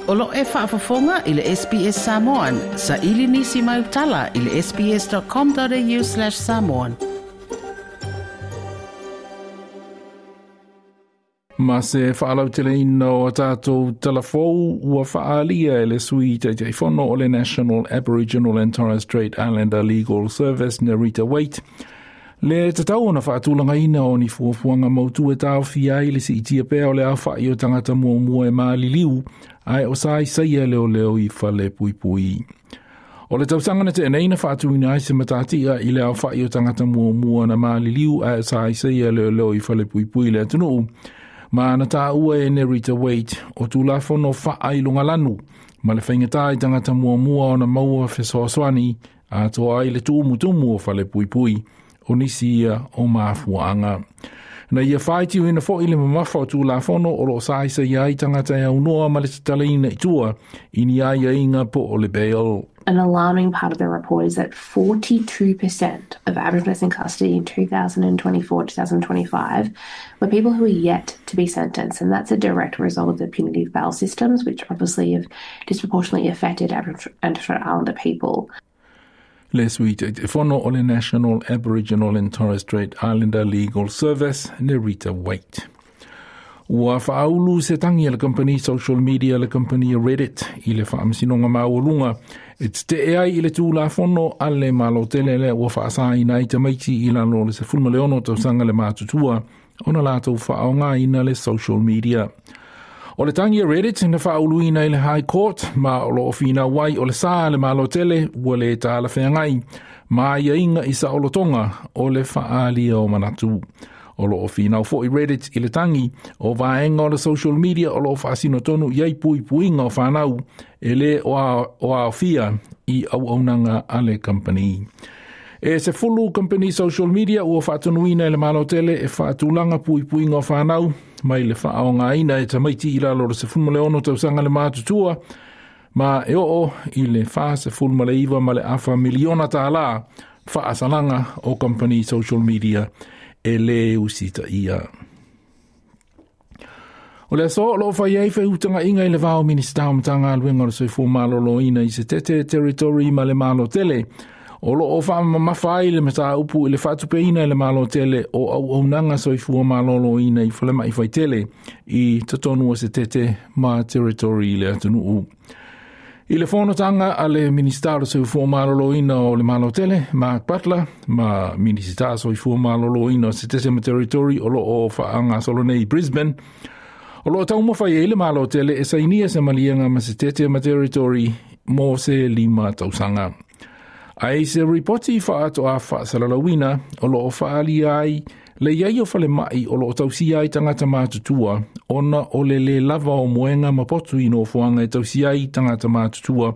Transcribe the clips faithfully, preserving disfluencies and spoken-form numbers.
O lo e faafofoga i le S B S Samoan, sa ili nisi mai utala i le sbs.com.au slash samoan. Ma se whaalauteleina o tātou telefou ua whaalia e le sui taitaifono o le National Aboriginal and Torres Strait Islander Legal Service Nerita Waite. Le tatau na whaatulanga o ni fuafuanga mautu e tāwhia ai le si itia pēa o le awhai o tangata mua mua e maaliliu ai o sai saia leo leo i whale pui pui. O le tausanga na te eneina whaatuina ai se matatia i le awhai o tangata mua mua na maaliliu ai o sai saia leo leo i whale pui pui le atunuu. Ma na tā ua e Nerita Waite o tūlafono whaai lungalanu ma le whaingatai tangata mua mua o na maua whesoaswani a toa ai le tūmutumu o whale pui pui o nisi ia o maafuaanga. Na ia whaiti ina fo i le mamafa o tūlafono o lo saisa ia ai tangata e aunoa ma le tataleina i tua i ni ai inga po o le bail. An alarming part of the report is that forty-two percent of Aboriginals in custody in two thousand twenty-four to two thousand twenty-five were people who were yet to be sentenced, and that's a direct result of the punitive bail systems, which obviously have disproportionately affected Aboriginal and Torres Strait Islander people. Le sui te fono o le National Aboriginal and Torres Strait Islander Legal Service, Nerita Waite. Ua whaaulu se tangi le company social media le company Reddit i le whaamasinonga maulunga e te te ai i le tūlafono a le malotele le ua whaasaina i tamaiti i lalo le sefulu ma le ono tausanga le mātutua ona lātou whaonga ina le social media. O le tangi a Reddit na whaauluina i le High Court ma o lo ofina wai o le saa le malotele ua le tāla wheangai ma ia inga i sa olotonga o le whaalia o manatu. O lo whinau fo i Reddit i le tangi o vaenga o le social media o lo whaasino tonu iai pui puinga o whanau e le o a whia i au aunanga a le company. E se fulu company social media ua whaatunuina i le malotele e whaatulanga pui puinga o whanau mai le whaonga ina e tamaiti i lalo le se fulu le ono tausanga le mātutua ma e oo i le wha se fulu ma le iwa ma le awha miliona tālā whaasalanga o company social media e le usita ia. O le aso lo whai ai whautanga inga i le vao minista o matanga aluenga o le soifua maloloina i se tete territory ma le malotele. O lo o whaamamafa ai le mataupu i le whaatupeina i le malotele o au aunanga soifua maloloina i whalema i whaitele i tatonu o se tete ma territory i le atunuu. I le whonotanga a le Minista o Soifua Maloloina o le Malotele, Mark Butler, ma Minista Soifua Maloloina o se tese ma territory o lo o whaanga solo nei Brisbane. O lo taumawhai e le Malotele e sainia se malianga ma se tete ma territory mo se lima tausanga. Ai se ripoti whaato a whaasalalawina o lo o whaalia ai le iai o whale mai o lo o tausia ai tangata mātutua ona o le le lava o moenga mapotu i nofoanga e tausia ai tangata mātutua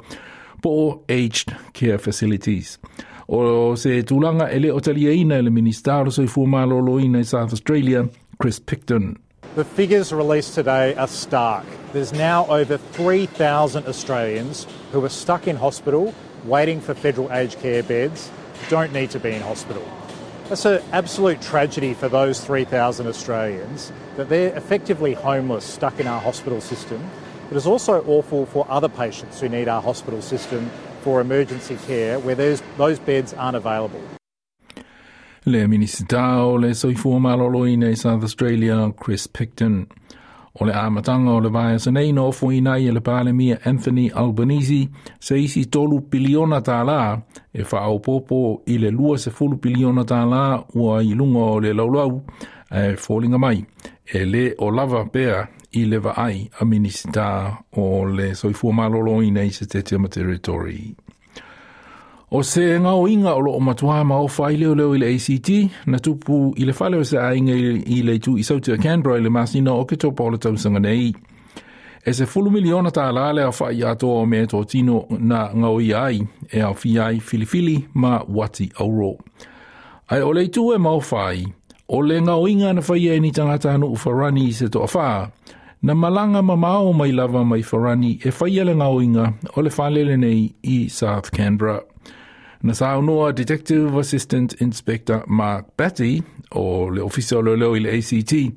po o aged care facilities. O se tūlanga e le o taliaina e le Minista o Soifua Maloloina i South Australia, Chris Picton. The figures released today are stark. There's now over three thousand Australians who are stuck in hospital waiting for federal aged care beds, don't need to be in hospital. That's an absolute tragedy for those three thousand Australians, that they're effectively homeless, stuck in our hospital system. But it's also awful for other patients who need our hospital system for emergency care, where those beds aren't available. Le Minista o le Soifua Maloloina i South Australia, Chris Picton. O le amatanga o le vaea nei no ofoina i le Palemia Anthony Albanese se isi tolu piliona tālā e whaopopo i le lua se fulu piliona tālā ua i lunga o le laulau e fōlinga mai e le o lava pea i le vaai a Minista o le Soifua Maloloina i se tete ma territory. O se ngau inga o lo o matua ma o whai leo leo i le A C T, na tupu i le whale o se ainga i le tu i sauti a Canberra i le masina o ke topa o le tausanga nei. E se fulu miliona tā lale a whai atoa o mea tō tino na ngau i ai e au whiai filifili ma wati auro. Ai o le tu e mau whai, o le ngau inga na whai e ni tangata anu uwharani i se toa wha, na malanga mamao mai lava mai wharani e whai ele ngau inga o le whalele nei i South Canberra. Na saunoa Detective Assistant Inspector Mark Batty o le ofisa o leo i le A C T.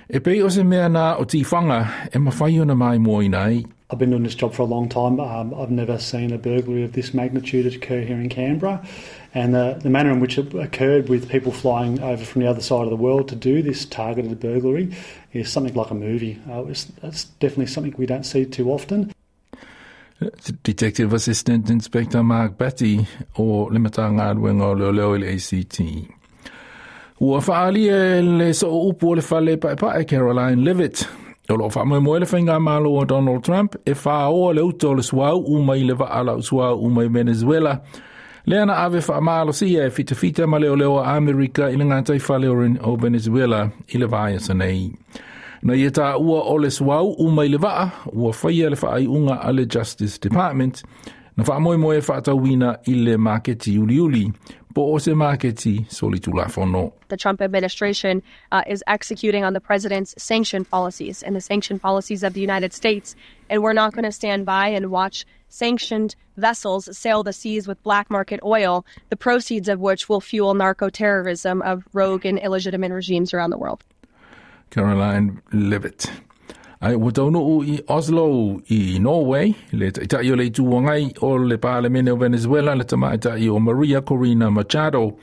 E pei o se mea nā o tiwhanga e mawhai ona mai moe nei. I've been doing this job for a long time. Um, I've never seen a burglary of this magnitude occur here in Canberra. And the, the manner in which it occurred, with people flying over from the other side of the world to do this targeted burglary, is something like a movie. Uh, it's, it's definitely something we don't see too often. Detective Assistant Inspector Mark Batty o le Matagaluega o Leoleo i le A C T. Ua faalia le sooupu o le fale paepae Karoline Leavitt. O lo faamoemoe le faigamalo o Donald Trump e faaoa le uta o le suauu mai le vaa lau suauu mai Venezuela. Lea na ave faamalosia e fitafita ma leoleo a Amerika i le gataifale o Venezuela i le vaiaso nei. Na ia taua o le suauu mai le vaa, ua faia le faaiuga a le Justice Department, na faamoemoe e faatauina i le maketi uliuli, po o se maketi solitulafono. The Trump administration uh, is executing on the president's sanction policies and the sanction policies of the United States. And we're not going to stand by and watch sanctioned vessels sail the seas with black market oil, the proceeds of which will fuel narco terrorism of rogue and illegitimate regimes around the world. Karoline Leavitt. Ai ua taunuu i Oslo i Norway, le taitai o le Itu Agai o le Palemene o Venezuela, le tamaitai o Maria Corina Machado,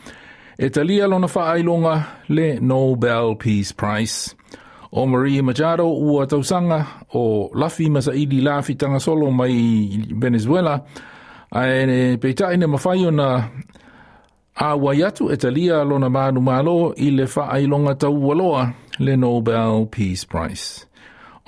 e talia lona faailoga le Nobel Peace Prize. O Maria Machado ua tausaga o lafi ma saili lafitaga solo mai Venezuela, ae peitai na mafai ona auai atu e talia lona manumalo i le faailoga taualoa le Nobel Peace Prize.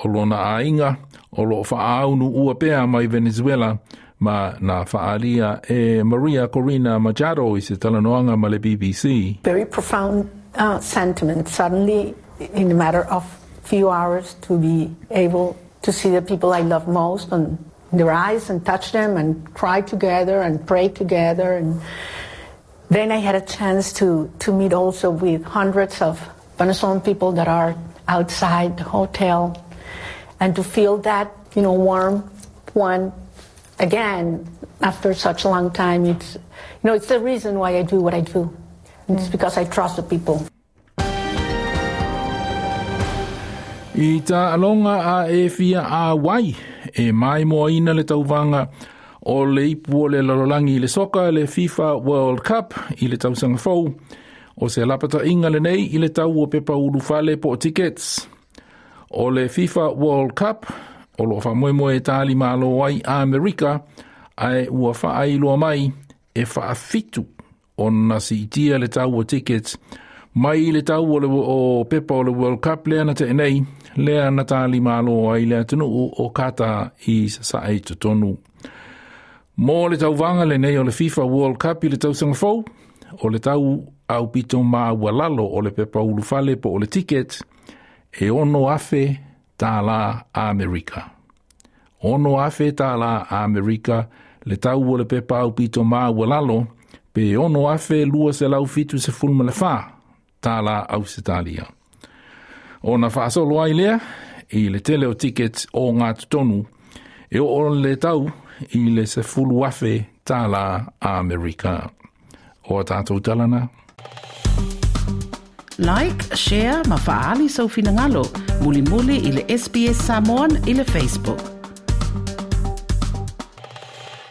O lona aiga o lo faaunuua pea mai Venezuela ma na faalia e Maria Corina Machado i se talanoaga ma le B B C. Very profound uh, sentiment suddenly, in a matter of few hours, to be able to see the people I love most and their eyes and touch them and cry together and pray together. And then I had a chance to, to meet also with hundreds of Venezuelan people that are outside the hotel and to feel that, you know, warm one again after such a long time. It's, you know, it's the reason why I do what I do. It's because I trust the people. I taaloga a e fia auai e maimoaina le tauvaga o le ipu o le lalolagi i le soka le FIFA World Cup i le tausaga fou. O se lapataiga lenei i le tau o pepa ulufale po o tickets. O le FIFA World Cup o lo faamoemoe e talimalo ai Amerika ae ua faailoa mai e faafitu ona siitia le tau o tickets mai le tau o, le, o pepa o le World Cup lea na tea nei, lea na talimalo ai le atunuu o Kata i sasae totonu. Mo le tauvaga lenei o le FIFA World Cup i le tausaga fou, o le tau aupito maualalo o le pepa ulufale po o le ticket, e ono afe tālā Amerika. Ono afe tālā Amerika le tau o le pepa aupito maualalo pe ono afe lua selau fitu sefulu ma le fā tālā Ausetalia. Ona faasolo ai lea i le tele o tickets o ngā totonu e o le tau i le sefulu afe tālā Amerika. O a tātou talana. Like, share, ma faali sau finagalo. Mulimuli i le S B S Samoan i le Facebook.